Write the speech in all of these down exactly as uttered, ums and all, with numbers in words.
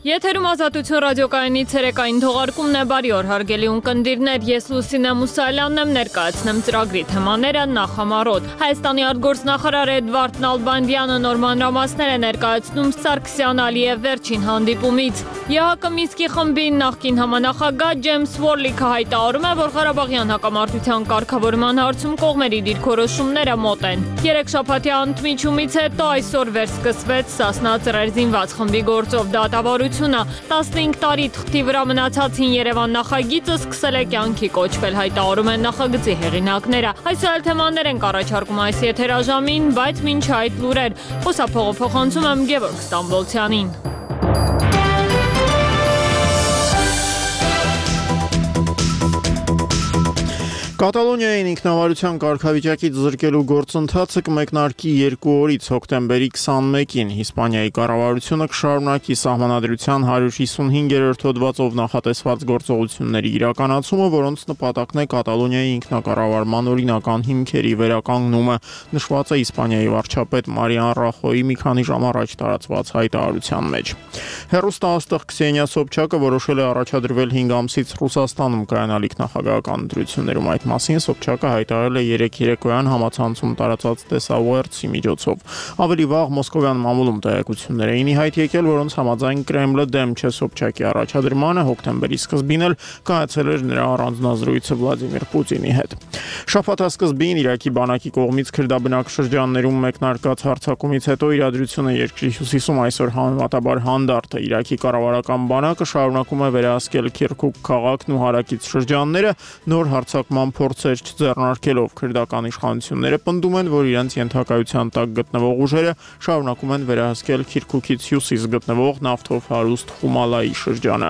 Եթերում Ազատություն ռադիոկայանի ցերեկային թողարկումն է, բարի օր հարգելի ունկնդիրներ, ես Լուսինե Մուսալյանն եմ, ներկայացնեմ ծրագրի թեմաները նախամարոտ։ Հայաստանի արտգործնախարար Էդվարդ Նալբանդյանը նոր մանրամասներ է ներկայացնում Սարգսյան-Ալիև վերջին հանդիպումից։ ԵՀԿ Մինսկի խմբի նախկին համանախագահ Ջեյմս Վորլիքը հայտարարում է, որ Ղարաբաղյան հակամարտության կարգավորման հարցում կողմերի դիրքորոշումները մոտ են։ Երեք շաբաթյա ընդմիջումից հետո այսօր վերսկսվեց Սասնա ծռեր զինված խմբի գործով դատավարությունը։ տասնհինգ տարի թղթի վրա մնացածին Երևան նախագիծը սկսել է կյանքի կոչվել, հայտարարում են նախագծի հեղինակները։ Այսօր թեմաներ ենք առաջարկում այս եթերաժամին, բայց մինչ այդ լուրեր։ Խոսափողը փոխանցում եմ Գևորգ Ստամբոլցյանին։ Կատալոնիային ինքնավարության կարգավիճակից զրկելու գործընթացը կմեկնարկի երկու օրից հոկտեմբերի քսանմեկին։ Իսպանիայի կառավարությունը կշարունակի սահմանադրության հարյուր հիսունհինգերորդ հոդվածով նախատեսված գործողությունների իրականացումը, որոնց նպատակն է Կատալոնիայի ինքնակառավարման օրինական հիմքերի վերականգնումը, նշված է Իսպանիայի վարչապետ Մարիան Ռախոյի մի քանի ժամ առաջ տարածված հայտարարության մեջ։ Հեռուստաաստղ Քսենիա Սոբչակը որոշել է առաջադրվել հինգ ամսից Ռուսաստանում կայանալիք նախագահական ընտրություններում։ Այդ մասին Սոբչակը հայտարարել է երեկ երեկոյան համացանցում տարածած տեսաուերցի միջոցով։ Ավելի վաղ Մոսկովյան մամուլում տեղեկություններ էին ի հայտ եկել, որոնց համաձայն Կրեմլը դեմ չէ Սոբչակի առաջադրմանը, հոկտեմբերի սկզբին էլ կայացել էր նրա առանձնազրույցը Վլադիմիր Պուտինի հետ։ Շաբաթասկզբին Իրաքի բանակի կողմից քրդաբնակ շրջաններում մեկնարկած հարձակումից հետո իրադրությունը երկրի հյուսիսում այսօր համեմատաբար հանդարտ է։ Իրաքի կառավարական բանակը շարունակում է վերահսկել Քիրքուկ քաղաքն ու հարակից շրջանները, նոր հարձակման փորձեր չձեռնարկելով։ Քրդական իշխանությունները պնդում են, որ իրենց ենթակայության տակ գտնվող ուժերը շարունակում են վերահսկել Քիրքուկից հյուսիս գտնվող նավթով հարուստ Խումալայի շրջանը։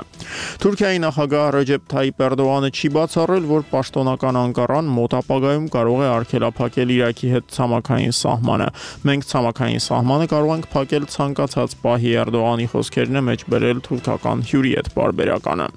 Թուրքիայի նախագահ Ռեջեփ Թայիպ Էրդողանը չի բացառել, որ պաշտոնական Անկարան մոտ ապագայում կարող է արգելափակել Իրաքի հետ ցամաքային սահմանը։ Մենք ցամաքային սահմանը կարող ենք փակել ցանկացած պահի, Էրդողանի խոսքերն է մեջ բերել թուրքական հյուրի հետ պարբերականը։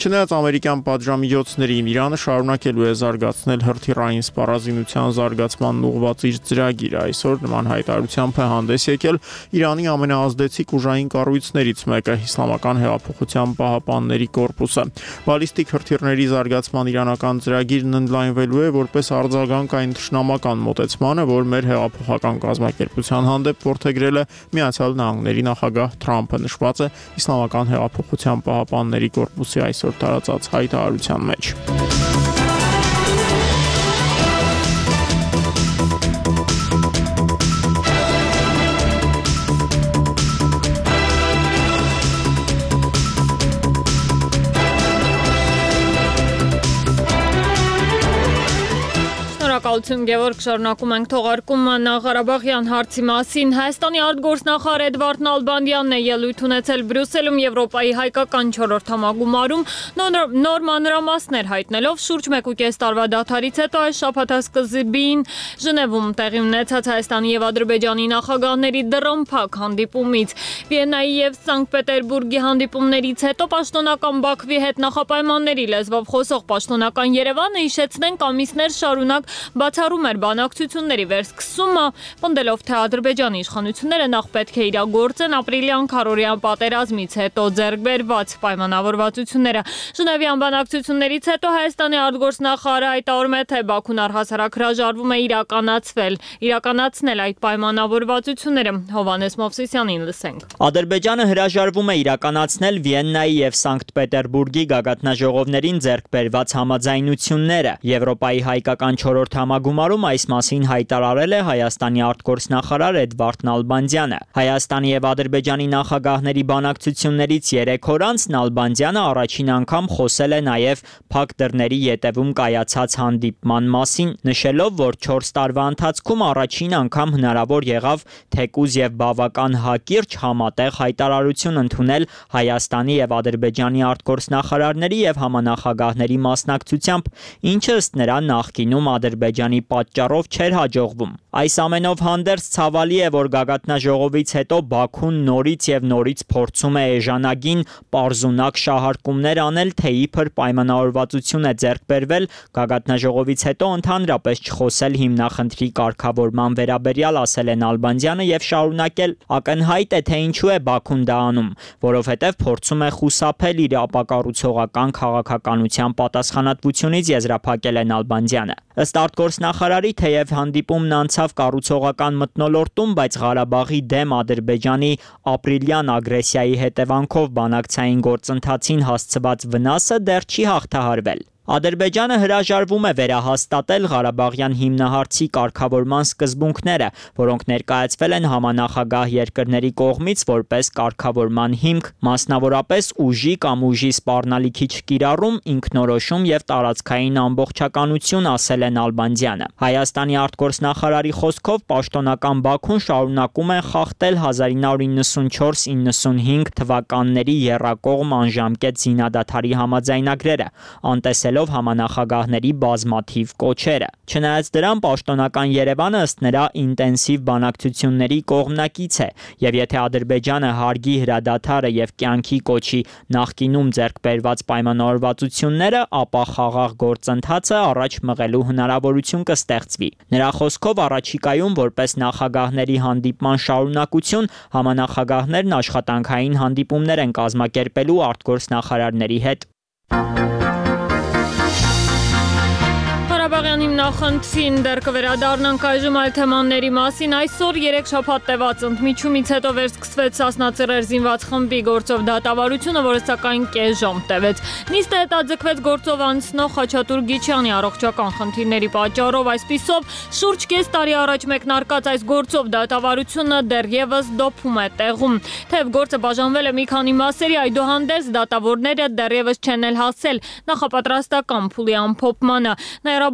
Չնայած ամերիկյան պատժամիջոցներին, Իրանը շարունակելու է զարգացնել հրթիռային սպառազինության զարգացմանն ուղղված իր ծրագիրը։ Այսօր նման հայտարարությամբ է հանդես եկել Իրանի ամենաազդեցիկ ուժային կառույցներից մեկը՝ Իսլամական հեղափոխության պահապանների կորպուսը։ Բալիստիկ հրթիռների զարգացման իրանական ծրագիրն ընդլայնվելու է որպես արձագանք այն թշնամական մոտեցմանը, որ մեր հեղափոխական կազմակերպության հանդեպ որդեգրել է Միացյալ Նահանգների նախագահ Թրամփը, նշված է Իսլամական հեղափոխության պահապանների կորպուսի այսօր տարածած հայտարարության մեջ։ Շնորհակալություն Գևորգ, շարունակում ենք թողարկումը Ղարաբաղյան հարցի մասին։ Հայաստանի արտգործնախարար Էդվարդ Նալբանդյանն է ելույթ ունեցել Բրյուսելում Եվրոպայի հայկական չորրորդ համագումարում, նոր մանրամասներ հայտնելով շուրջ մեկուկես տարվա դադարից հետո այս շաբաթասկզբին Ժնևում տեղի ունեցած Հայաստանի եւ Ադրբեջանի նախագահների դռնփակ հանդիպումից։ Վիեննայի եւ Սանկտ Պետերբուրգի հանդիպումներից հետո պաշտոնական Բաքվի հետ նախապայմանների լեզվով խոսող պաշտոնական Երևանը հիշեցնենք ամիսներ շարունակ բացառում էր բանակցությունների վերսկսումը, պնդելով, թե Ադրբեջանի իշխանությունները նախ պետք է իրագործեն ապրիլյան քառօրյա պատերազմից հետո ձեռք բերված պայմանավորվածությունները։ Ժնևյան բանակցություններից հետո Հայաստանի արտգործնախարարը հայտարարում է, թե Բաքուն առհասարակ հրաժարվում է իրականացվել, իրականացնել այդ պայմանավորվածությունները։ Հովհաննես Մովսիսյանին լսենք։ Ադրբեջանը հրաժարվում է իրականացնել Վիեննայի եւ Սանկտ Պետերբուրգի գագաթնաժողովներին ձեռք բերված համաձայնությունները։ Եվրոպայի հայկական չորրորդ համագումարում այս մասին հայտարարել է Հայաստանի արտգործնախարար Էդվարդ Նալբանդյանը։ Հայաստանի եւ Ադրբեջանի նախագահների բանակցություններից երեք օր անց Նալբանդյանը առաջին անգամ խոսել է նաեւ փակ դռների ետևում կայացած հանդիպման մասին, նշելով, որ չորս տարվա ընթացքում առաջին անգամ հնարավոր եղավ թեկուզ եւ բավական հակիրճ համատեղ հայտարարություն ընդունել Հայաստանի եւ Ադրբեջանի արտգործնախարարների եւ համանախագահների մասնակցությամբ, ինչը ըստ նրա նախկինում Ադրբեջանի Ադրբեջանի պատճառով չէր հաջողվում։ Այս ամենով հանդերձ ցավալի է, որ գագաթնաժողովից հետո Բաքուն նորից եւ նորից փորձում է էժանագին պարզունակ շահարկումներ անել, թե իբր պայմանավորվածություն է ձեռք բերվել գագաթնաժողովից հետո ընդհանրապես չխոսել հիմնախնդրի կարգավորման վերաբերյալ, ասել է Նալբանդյանը եւ շարունակել. ակնհայտ է, թե ինչու է Բաքուն դա անում, որովհետեւ փորձում է խուսափել իր ապակառուցողական քաղաքականության պատասխանատվությունից, եզրափակել է Նալբանդյանը։ Ըստ արտգործնախարարի, թեև հանդիպումն անցավ կառուցողական մթնոլորտում, բայց Ղարաբաղի դեմ Ադրբեջանի ապրիլյան ագրեսիայի հետևանքով բանակցային գործընթացին հասցված վնասը դեռ չի հաղթահարվել։ Ադրբեջանը հրաժարվում է վերահաստատել Ղարաբաղյան հիմնահարցի կարգավորման սկզբունքները, որոնք ներկայացվել են համանախագահ երկրների կողմից որպես կարգավորման հիմք, մասնավորապես ուժի կամ ուժի սպառնալիքի չկիրառում, ինքնորոշում եւ տարածքային ամբողջականություն, ասել է Նալբանդյանը։ Հայաստանի արտգործնախարարի խոսքով պաշտոնական Բաքուն շարունակում է խախտել հազար ինը հարյուր իննսունչորս իննսունհինգ թվականների եռակողմ անժամկետ զինադադարի համաձայնագրերը, անտեսելով համանախագահների բազմաթիվ կոչերը։ Չնայած դրան, պաշտոնական Երևանը ըստ նրա ինտենսիվ բանակցությունների կողմնակից է, եւ եթե Ադրբեջանը հարգի հրադադարը եւ կյանքի կոչի նախկինում ձեռք բերված պայմանավորվածությունները, ապա խաղաղ գործընթացը առաջ մղելու հնարավորություն կստեղծվի։ Նրա խոսքով առաջիկայում որպես նախագահների հանդիպման շարունակություն համանախագահներն աշխատանքային հանդիպումներ են կազմակերպելու արտգործնախարարների հետ։ Ղարաբաղյան հիմնախնդրին դեռ կվերադառնանք այժմ այլ թեմաների մասին։ Այսօր երեք շաբաթ տևած ընդմիջումից հետո վերսկսվեց Սասնա Ծռեր զինված խմբի գործով դատավարությունը, որը սակայն կես ժամ տևեց։ Նիստը հետաձգվեց գործով անցնող Խաչատուր Գիչյանի առողջական խնդիրների պատճառով, այսպիսով շուրջ կես տարի առաջ մեկնարկած այս գործով դատավարությունը դեռևս դոփում է տեղում։ Թեև գործը բաժանվել է մի քանի մասերի, այդուհանդերձ դատավորները դեռևս չեն էլ հասել նախապատրաստական փուլի ամփոփմանը։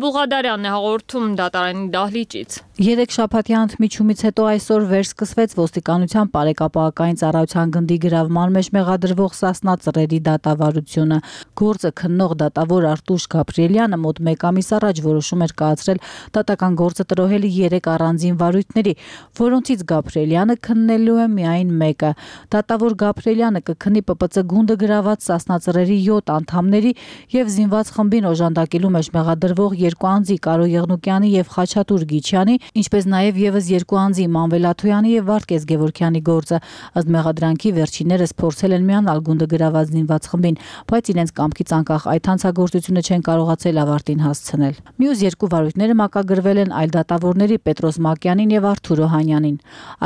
Բուղադարյանն է հաղորդում դատարանի դահլիճից։ Երեք շաբաթյա ընդմիջումից հետո այսօր վերսկսվեց ոստիկանության բարեկապահական ծառայության գնդի գրավման մեջ մեղադրվող Սասնա Ծռերի դատավարությունը։ Գործը քննող դատավոր Արտուշ Գաբրիելյանը մոտ մեկ ամիս առաջ որոշում էր կայացրել դատական գործը տրոհելի երեք առանձին վարույթների, որոնցից Գաբրիելյանը քննելու է միայն մեկը։ Դատավոր Գաբրիելյանը կքննի Պ Պ Ց գունդը գրաված Սասնա Ծռերի յոթ անդամների եւ զինված խմբին օժանդակելու մեջ մեղադրվող երկու անձի Կարո Եղնուկյանի եւ Խաչատուր Գիչյանի, ինչպես նաեւ եւս երկու անձի Մանվել Աթոյանի եւ Վարդգես Գևորգյանի գործը։ Ըստ մեղադրանքի վերջիններս փորձել են միանալ գունդը գրաված զինված խմբին, բայց իրենց կամքից անկախ այդ հանցագործությունը չեն կարողացել ավարտին հասցնել։ Մյուս երկու վարույթները մակագրվել են այլ դատավորների Պետրոս Մակյանին եւ Արթուր Օհանյանին։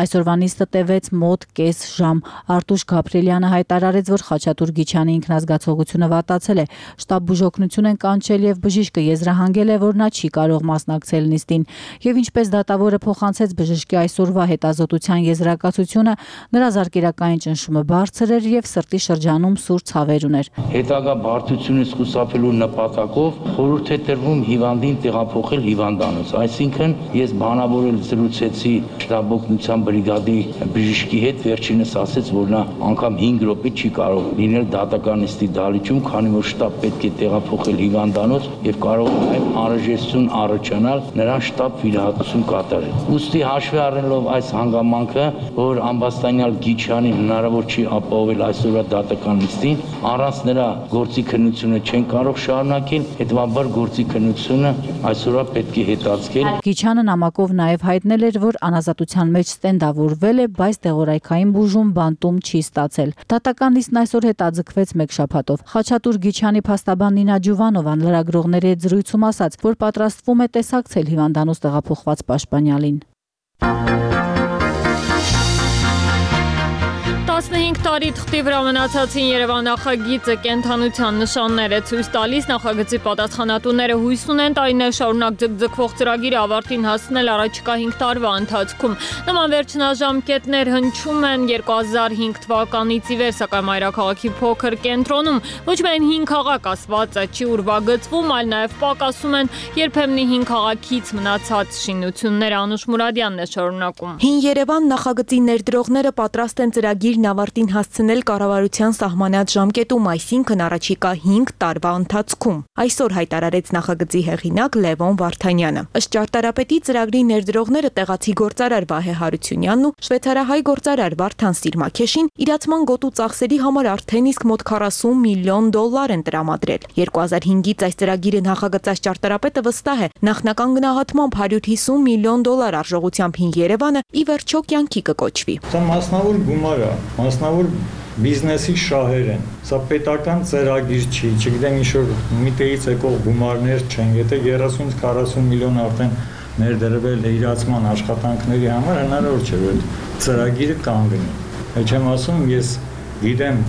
Այսօրվա նիստը տևեց մոտ կես ժամ։ Արտուշ Գաբրիելյանը հայտարարեց, որ Խաչատուր Գիչյանի ինքնազգացողությունը վատացել է, շտաբ բուժօգնություն են կանչել եւ բժիշկը եզրահանգել է, որ նա չի կարող մասնակցել նիստին։ Եվ ինչպես դատավորը փոխանցեց բժշկի այսօրվա հետազոտության եզրակացությունը, նրա զարկերակային ճնշումը բարձր էր եւ սրտի շրջանում սուր ցավեր ուներ։ Հետագա բարդությունից խուսափելու նպատակով խորհուրդ է տրվում հիվանդին տեղափոխել հիվանդանոց, այսինքն ես բանավորել զրուցեցի շտաբօգնության բրիգադի բժշկի հետ, վերջինս ասեց, որ նա անգամ հինգ րոպե չի կարող լինել դատական նիստի դահլիճում, քանի որ շտաբ պետք է տեղափոխել հիվանդանոց եւ կարող է անհրաժեշտություն առաջանալ նրան շտաբ վիրահատություն կատարել։ Ուստի հաշվի առնելով այս հանգամանքը, որ ամբաստանյալ Գիչյանին հնարավոր չի ապահովել այսօրվա դատական նիստին, առանց նրա գործի քննությունը չեն կարող շարունակել, հետևաբար գործի քննությունը այսօրվա պետք է հետաձգել։ Գիչյանը նամակով նաև հայտնել էր, որ անազատության մեջ ստենդավորվել է, բայց դեղորայքային բուժում բանտում չի ստացել։ Դատական նիստն այսօր հետաձգվեց մեկ շաբաթով։ Խաչատուր Գիչյանի փաստաբան Նինա Ջուվանովան լրագրողների հետ զրույցում ասաց, որ պատրաստվում է տեսակցել հիվանդանոց տեղափոխված պաշտպանյալին։ տասնհինգ տարի թղթի վրա մնացածին Երևան նախագիծը կենթանության նշաններ է ցույց տալիս, նախագծի պատասխանատուները հույս ունեն տարիներ շարունակ ձգձգվող ծրագիրը ավարտին հասնել առաջիկա հինգ տարվա ընթացքում։ Նման վերջնաժամկետներ հնչում են երկու հազար հինգ թվականից ի վեր, սակայն մայրաքաղաքի փոքր կենտրոնում ոչ միայն հին քաղաք ասվածը չի ուրվագծվում, այլ նաև պակասում են երբեմնի հին քաղաքից մնացած շինությունները։ Անուշ Մուրադյանն է շարունակում։ Հին Երևան նախագծի ներդրողները պատրաստ են ծրագիրն ավարտին ճարտարապետին հասցնել կառավարության սահմանած ժամկետում, այսինքն առաջիկա հինգ տարվա ընթացքում։ Այսօր հայտարարեց նախագծի հեղինակ Լևոն Վարդանյանը։ Ըստ ճարտարապետի ծրագրի ներդրողները տեղացի գործարար Վահե Հարությունյանն ու շվեյցարահայ գործարար Վարդան Սիրմաքեշին իրացման գոտու ծախսերի համար արդեն իսկ մոտ քառասուն միլիոն դոլար են տրամադրել։ երկու հազար հինգից այս ծրագիրը նախագծած ճարտարապետը վստահ է, նախնական գնահատմամբ հարյուր հիսուն միլիոն դոլար արժողությամբ հին Երևանը ի վերջո կյանքի կկոչվի։ Սա մասնավոր գումար է, մասնավոր բիզնեսի շահեր են։ Սա պետական ծրագիր չի, չգիտեմ ինչ-որ միտեից եկող գումարներ չեն, եթե երեսունից քառասուն միլիոն արդեն ներդրվել է իրացման աշխատանքների համար, հնարավոր չէ, որ ծրագիրը կանգնի։ Այդ չեմ ասում, ես գիտեմ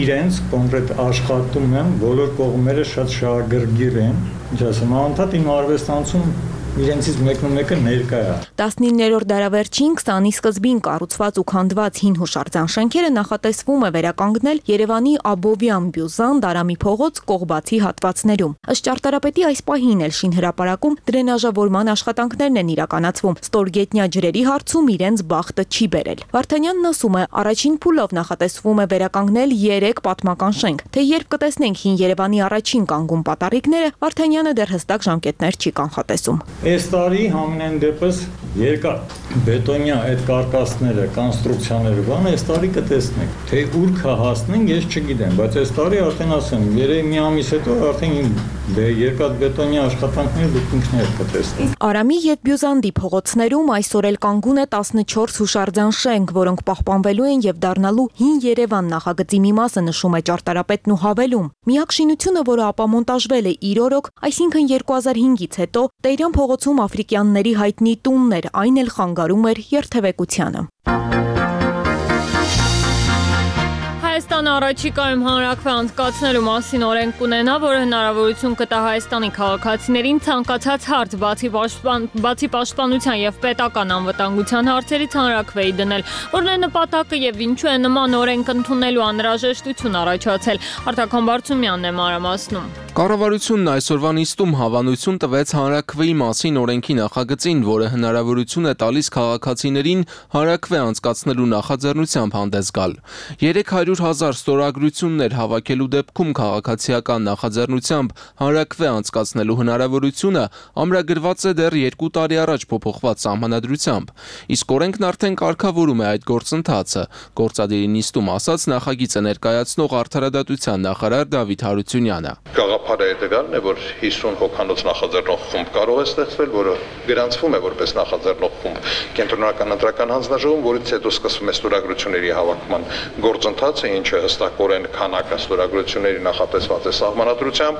իրենց կոնկրետ աշխատում եմ, բոլոր կողմերը շատ շահագրգիռ են, ինչ ասեմ, անընդհատ իմ արվեստանոցում իրենցից մեկն ու մեկը ներկա է։ տասնիններորդ դարավերջին քսանի սկզբին կառուցված ու քանդված հին հուշարձան շենքերը նախատեսվում է վերականգնել Երևանի Աբովյան, Բյուզան, Դարամի փողոց կողբացի հատվածներում։ Ըստ ճարտարապետի այս պահին էլ շինհրապարակում դրենաժավորման աշխատանքներն են իրականացվում։ Ստորգետնյա ջրերի հարցում իրենց բախտը չի բերել։ Վարդանյանն ասում է, առաջին փուլով նախատեսվում է վերականգնել երեք պատմական շենք։ Թե երբ կտեսնենք հին Երևանի առաջին կանգուն պատառիկները, Վարդանյանը դեռ հստակ ժամկետներ չի կանխատեսում։ Այս տարի համենայն դեպս երկար բետոնյա այդ կարկասները, կոնստրուկցիաները բան այս տարի կտեսնենք։ Թե ուր կհասնենք, ես չգիտեմ, բայց այս տարի արդեն ասեմ, երեք մի ամիս հետո արդեն դե երկաթ բետոնյա աշխատանքները դուք ինքներդ կտեսնեք։ Արամի եւ Բյուզանդի փողոցներում այսօր էլ կանգուն է տասնչորս հուշարձան շենք, որոնք պահպանվելու են եւ դառնալու հին Երևան նախագծի մի մասը, նշում է ճարտարապետն ու հավելում։ Միակ շինությունը, որը ապամոնտաժվել է իր օրոք, այսինքն երկու հազար հինգից հետո Տերյան փողոցում աֆրիկյանների հայտնի տունն էր, այն էլ խանգարում էր երթևեկությանը։ Հայաստանը առաջիկայում հանրաքվե անցկացնելու մասին օրենք կունենա, որը հնարավորություն կտա Հայաստանի քաղաքացիներին ցանկացած հարց բացի պաշտպան, բացի պաշտպանության եւ պետական անվտանգության հարցերից հանրաքվեի դնել, որն է նպատակը եւ ինչու է նման օրենք ընդունելու անհրաժեշտություն առաջացել։ Արտակոն Բարծումյանն է մանրամասնում։ Կառավարությունն այսօրվա նիստում հավանություն տվեց հանրաքվեի մասին օրենքի նախագծին, որը հնարավորություն է տալիս քաղաքացիներին հանրաքվե անցկացնելու նախաձեռնությամբ հանդես գալ։ երեք հարյուր հազար ստորագրություններ հավաքելու դեպքում քաղաքացիական նախաձեռնությամբ հանրաքվե անցկացնելու հնարավորությունը ամրագրված է դեռ երկու տարի առաջ փոփոխված սահմանադրությամբ, իսկ օրենքն արդեն կարգավորում է այդ գործընթացը, գործադիրի նիստում ասաց նախագիծը ներկայացնող Արդարադատության նախարար Դավիթ Հարությունյանը։ Գաղափարը հետևյալն է, որ հիսուն հոգանոց նախաձեռնող խումբ կարող է ստեղծվել, որը գրանցվում է որպես նախաձեռնող խումբ կենտրոնական ընտրական հանձնաժողովում, որից հետո սկսվում է ստորագրությունների հավաքման գործընթացը, ինչը հստակորեն քանակը ստորագրությունների նախատեսված է սահմանադրությամբ,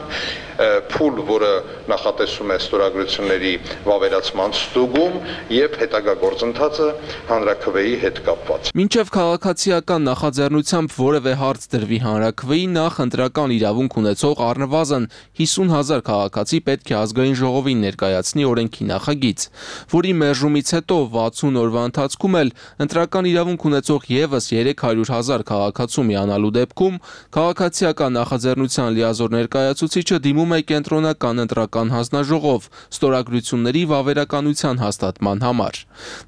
փուլ, որը նախատեսում է ստորագրությունների վավերացման ստուգում եւ հետագա գործընթացը հանրաքվեի հետ կապված։ Մինչև քաղաքացիական նախաձեռնությամբ որևէ հարց դրվի հանրաքվեի, նախ ընտրական իրավունք ունեցող առնվազն հիսուն հազար քաղաքացի պետք է ազգային ժողովին ներկայացնի օրենքի նախագիծ, որի մերժումից հետո վաթսուն օրվա ընթացքում էլ ընտրական իրավունք ունեցող եւս երեք հարյուր հազար քաղաքացու միանալու դեպքում քաղաքացիական նախաձեռնության լիազոր ներկայացուցիչը դիմում է կենտրոնական ընտրական հանձնաժողով ստորագրությունների վավերականության հաստատման համար։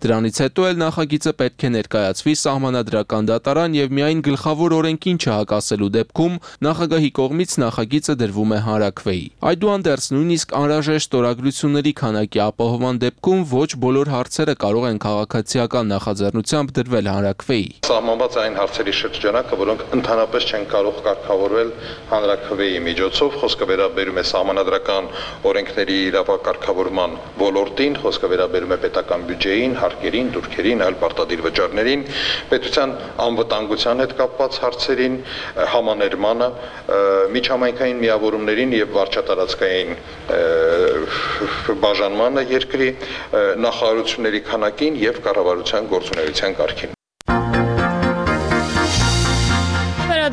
Դրանից հետո էլ նախագիծը պետք է ներկայացվի սահմանադրական դատարան եւ միայն գլխավոր օրենքին չհակասելու դեպքում նախագահի կողմից նախագիծը դրվում է հանրաքվեի։ Այդուհանդերձ նույնիսկ անհրաժեշտ ստորագրությունների քանակի ապահովման դեպքում ոչ բոլոր հարցերը կարող են քաղաքացիական նախաձեռնությամբ դրվել հանրաքվեի։ Սահմանված այն հարցերի շրջանակը, որոնք ընդհանրապես չեն կարող կարգավորվել հանրաքվեի միջոցով, խոսքը վերաբերում է սահմանադրական օրենքների իրավակարգավորման ոլորտին, խոսքը վերաբերում է պետական բյուջեին, հարկերին, դուրքերին, այլ պարտադիր վճարներին, պետության անվտանգության հետ կապված հարցերին, համաներմանը, միջհամայնքային միավորումներին եւ վարչատարածքային բաժանմանը երկրի, նախարարությունների քանակին եւ կառավարության գործունեության կարգին։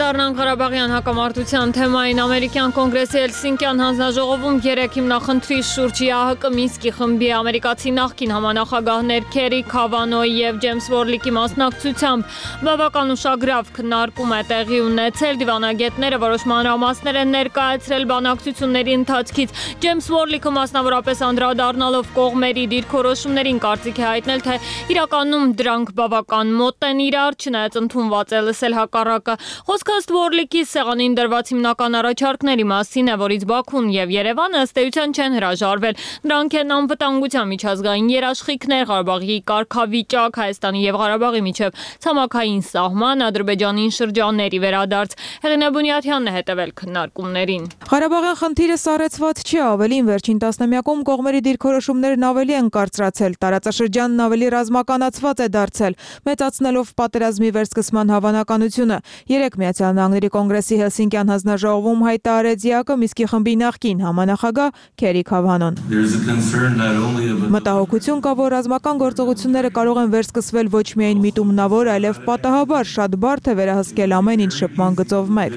Անդրադառնանք Ղարաբաղյան հակամարտության թեմային ամերիկյան կոնգրեսի Հելսինկյան հանձնաժողովում երեք հիմնախնդրի շուրջ ԵԱՀԿ Մինսկի խմբի ամերիկացի նախկին համանախագահներ Քերի Քավանոյի եւ Ջեյմս Վորլիկի մասնակցությամբ բավական ուշագրավ քննարկում է տեղի ունեցել։ Դիվանագետները որոշ մանրամասներ են ներկայացրել բանակցությունների ընթացքից։ Ջեյմս Վորլիկը մասնավորապես անդրադառնալով կողմերի դիրքորոշումներին կարծիք է հայտնել, թե իրականում դրանք բավական մոտ են իրար, չնայած ընդունված է լսել հակառակը։ Խոսքը ըստ Վորլիկի սեղանին դրված հիմնական առաջարկների մասին է, որից Բաքուն եւ Երևանը ըստ էության չեն հրաժարվել։ Դրանք են անվտանգության միջազգային երաշխիքներ, Ղարաբաղի կարգավիճակ, Հայաստանի եւ Ղարաբաղի միջև ցամաքային սահման, Ադրբեջանին շրջանների վերադարձ։ Հեղինե Բունյաթյանն է հետևել քննարկումներին։ Ղարաբաղյան խնդիրը սառեցված չի, ավելին վերջին տասնամյակում կողմերի դիրքորոշումներն ավելի են կարծրացել, տարածաշրջանն ավելի ռազմականացված է դարձել, մեծացնելով պատերազմի վերսկսման հավանականությունը։ Երեք Միացյալ Նահանգների կոնգրեսի Հելսինկյան հանձնաժողովում հայտարարեց ԵԱՀԿ Մինսկի խմբի նախկին համանախագահ Քերի Քավանոն։ Մտահոգություն կա, որ ռազմական գործողությունները կարող են վերսկսվել ոչ միայն միտումնավոր, այլև պատահաբար շատ բարդ է վերահսկել ամեն ինչ շփման գծով մեկ։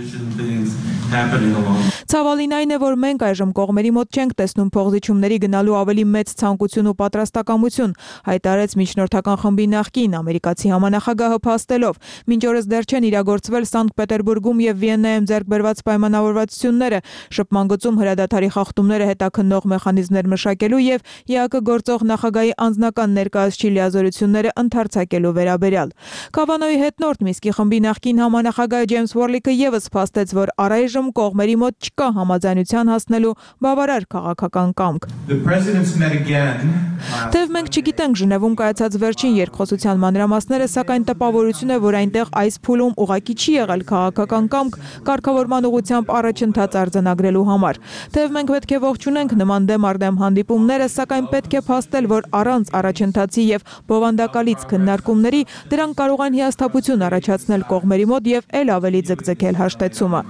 Ցավալին այն է, որ մենք այժմ կողմերի մոտ չենք տեսնում փողզիչումների գնալու ավելի մեծ ցանկություն ու պատրաստակամություն, հայտարարեց միջնորդական խմբի նախկին ամերիկացի համանախագահը փաստելով։ Մինչ օրս դեռ չեն իրագործվել Սանկտ Պետերբուրգում եւ Վիեննայում ձեռք բերված պայմանավորվածությունները, շփման գծում հրադադարի խախտումները հետաքննող մեխանիզմներ մշակելու եւ ԵԱՀԿ գործող նախագահի անձնական ներկայացուցիչ լիազորությունները ընդարձակելու վերաբերյալ։ Քավանոյի հետնորդ Մինսկի խմբի նախկին համանախագահ Ջեյմս Վորլիկը եւս փաստեց, որ առայժմ կողմերի մոտ չկա համաձայնության հասնելու բավարար քաղաքական կամք։ Թեև մենք չգիտենք Ժնևում կայացած վերջին երկխոսության մանրամասները, սակայն տպավորություն է, որ այնտեղ այս փուլում ուղղակի չի եղել քաղաքական կամք կարգավորման ուղղությամբ առաջընթաց արձանագրելու համար։ Թեև մենք պետք է ողջունենք նման դեմ առ դեմ հանդիպումները, սակայն պետք է փաստել, որ առանց առաջընթացի եւ բովանդակալից քննարկումների դրանք կարող են հիասթափություն առաջացնել կողմերի մոտ եւ ել ավելի ձգձգել հաշտեցումը։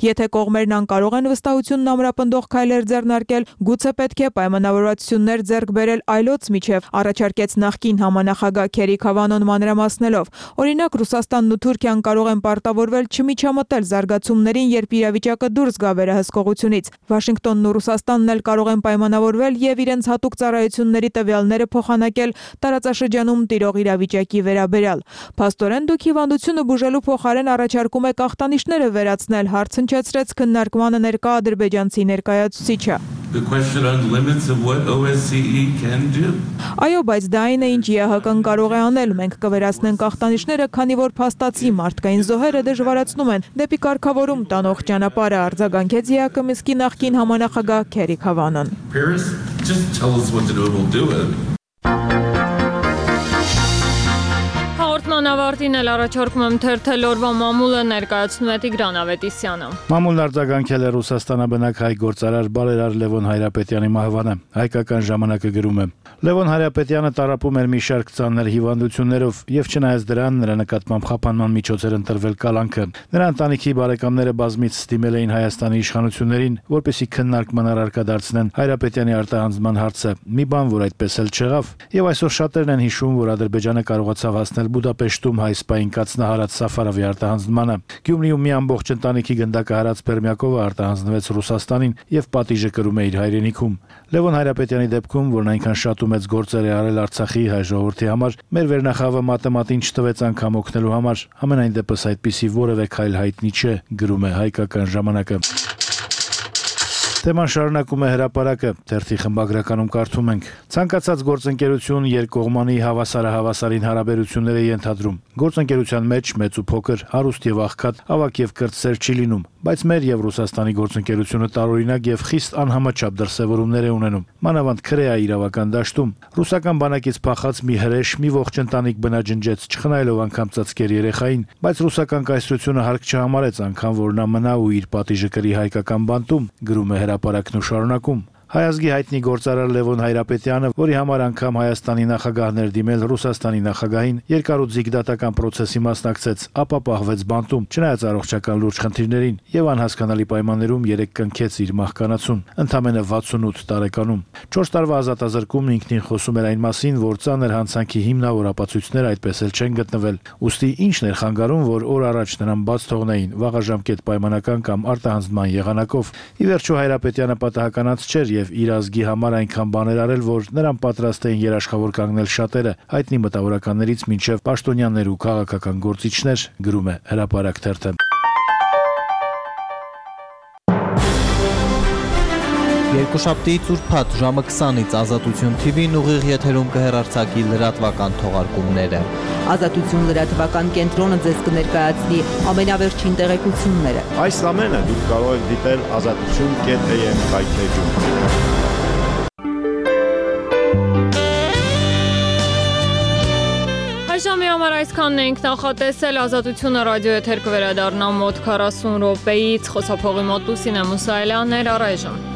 Եթե կողմերն անկարող են վստահությունն ամրապնդող քայլեր ձեռնարկել, գուցե պետք է պայմանավորվածություններ ձեռք բերել այլոց միջև, առաջարկեց նախկին համանախագահ Քերի Քավանոն մանրամասնելով։ Օրինակ Ռուսաստանն ու Թուրքիան կարող են պարտավորվել չմիջամտել զարգացումներին, երբ իրավիճակը դուրս գա վերահսկողությունից։ Վաշինգտոնն ու Ռուսաստանն էլ կարող են պայմանավորվել եւ իրենց հատուկ ծառայությունների տվյալները փոխանակել տարածաշրջանում տիրող իրավիճակի վերաբերյալ։ Փաստորեն դուք հիվանդությունը բուժելու փոխարեն առաջարկում եք ախտանիշները վերացնել, հարց հնչեցրեց քննարկմանը ներկա ադրբեջանցի ներկայացուցիչը։ Այո, բայց դա այն է, ինչ ԵԱՀԿ-ն կարող է անել։ Մենք կվերացնենք ախտանիշները, քանի որ փաստացի մարդկային զոհերը դժվարացնում են դեպի կարգավորում տանող ճանապարհը, արձագանքեց ԵԱՀԿ Մինսկի նախկին համանախագահ Քերի Քավանոն։ Հաղորդման ավարտին էլ առաջարկում եմ թերթել օրվա մամուլը, ներկայացնում է Տիգրան Ավետիսյանը։ Մամուլն արձագանքել է Ռուսաստանաբնակ հայ գործարար բարերար Լևոն Հայրապետյանի մահվանը։ Հայկական ժամանակը գրում է. Լևոն Հայրապետյանը տառապում էր մի շարք ծանր հիվանդություններով եւ չնայած դրան նրա նկատմամբ խափանման միջոցեր ընտրվել կալանքը։ Նրա ընտանիքի բարեկամները բազմից ստիմել էին Հայաստանի իշխանություններին, որպեսզի քննարկման առարկա դարձնեն Հայրապետյանի արտահանձնման հարցը։ Մի բան, որ այդպես էլ չեղավ, եւ այսօր շատերն են հիշում, որ Ադրբեջանը կարողացավ հասնել Բուդապեշտում հայ սպային կացնահարած Սաֆարովի արտահանձնմանը։ Գյումրիում մի ամբողջ ընտանիքի գնդակը հարած Պերմյակովը արտահանձնվեց Ռուսաստանին եւ պատիժը կրում է իր հայրենիքում։ Լևոն Հայրապետյանի դեպքում, որն այնքան շատ ու մեծ գործեր է արել Արցախի հայ ժողովրդի համար, մեր վերնախավը մատեմատին չտվեց անգամ օգնելու համար, ամենայն դեպս այդպիսի որևէ քայլ հայտնի չէ, գրում է Հայկական ժամանակը։ Թեման շարունակում է հրապարակը, թերթի խմբագրականում կարդում ենք. Ցանկացած գործընկերություն երկկողմանի հավասարահավասարին հարաբերություններ է ենթադրում։ Գործընկերության մեջ մեծ ու փոքր, հարուստ եւ աղքատ, ավակ եւ կրտսեր չի լինում, բայց մեր եւ Ռուսաստանի գործընկերությունը տարօրինակ եւ խիստ անհամաչափ դրսևորումներ է ունենում։ Մանավանդ Քրեա իրավական դաշտում ռուսական բանակից փախած մի հրեշ մի ողջ ընտանիք բնաջնջեց, չխնայելով անգամ ծածկեր երեխային, բայց ռուսական կայսրությունը հարկ չհամարեց անգամ, որ նա մնա ու իր պատիժը կրի հայկական բանտում, գրում է հրապարակն ու շարունակում։ Հայազգի հայտնի գործարար Լևոն Հայրապետյանը, որի համար անգամ Հայաստանի նախագահն էր դիմել Ռուսաստանի նախագահին, երկարուձիգ դատական process-ի մասնակցեց, ապա պահվեց բանտում, չնայած առողջական լուրջ խնդիրներին, եւ անհասկանալի պայմաններում երեք կնքեց իր մահկանացուն, ընդամենը վաթսունութ տարեկանում։ չորս տարվա ազատազրկումն ինքնին խոսում էր այն մասին, որ ծանր հանցանքի հիմնավոր ապացույցներ այդպես էլ չեն գտնվել։ Ուստի ինչն էր խանգարում, որ օր առաջ նրան բաց թողնեին վաղաժամկետ պայմանական կամ արտահանձնման եղանակով։ Ի վերջո Հայրապետյանը պատահականած չէր եւ իր ազգի համար այնքան բաներ արել, որ նրան պատրաստ էին երաշխավոր կանգնել շատերը, հայտնի մտավորականներից մինչև պաշտոնյաներ ու քաղաքական գործիչներ, գրում է Հրապարակ թերթը։ Երկուշաբթիից ուրբաթ ժամը քսանից Ազատություն թի վին ուղիղ եթերում կհեռարձակի լրատվական թողարկումները։ Ազատություն լրատվական կենտրոնը ձեզ կներկայացնի ամենավերջին տեղեկությունները։ Այս ամենը դուք կարող եք դիտել ազատություն կետ է եմ հայթեջում։ Ժամի համար այսքանն ենք նախատեսել, Ազատությունը ռադիո եթեր կվերադառնա մոտ քառասուն րոպեից, խոսափողի մոտ Լուսինե Մուսայելյանն էր, առայժմ։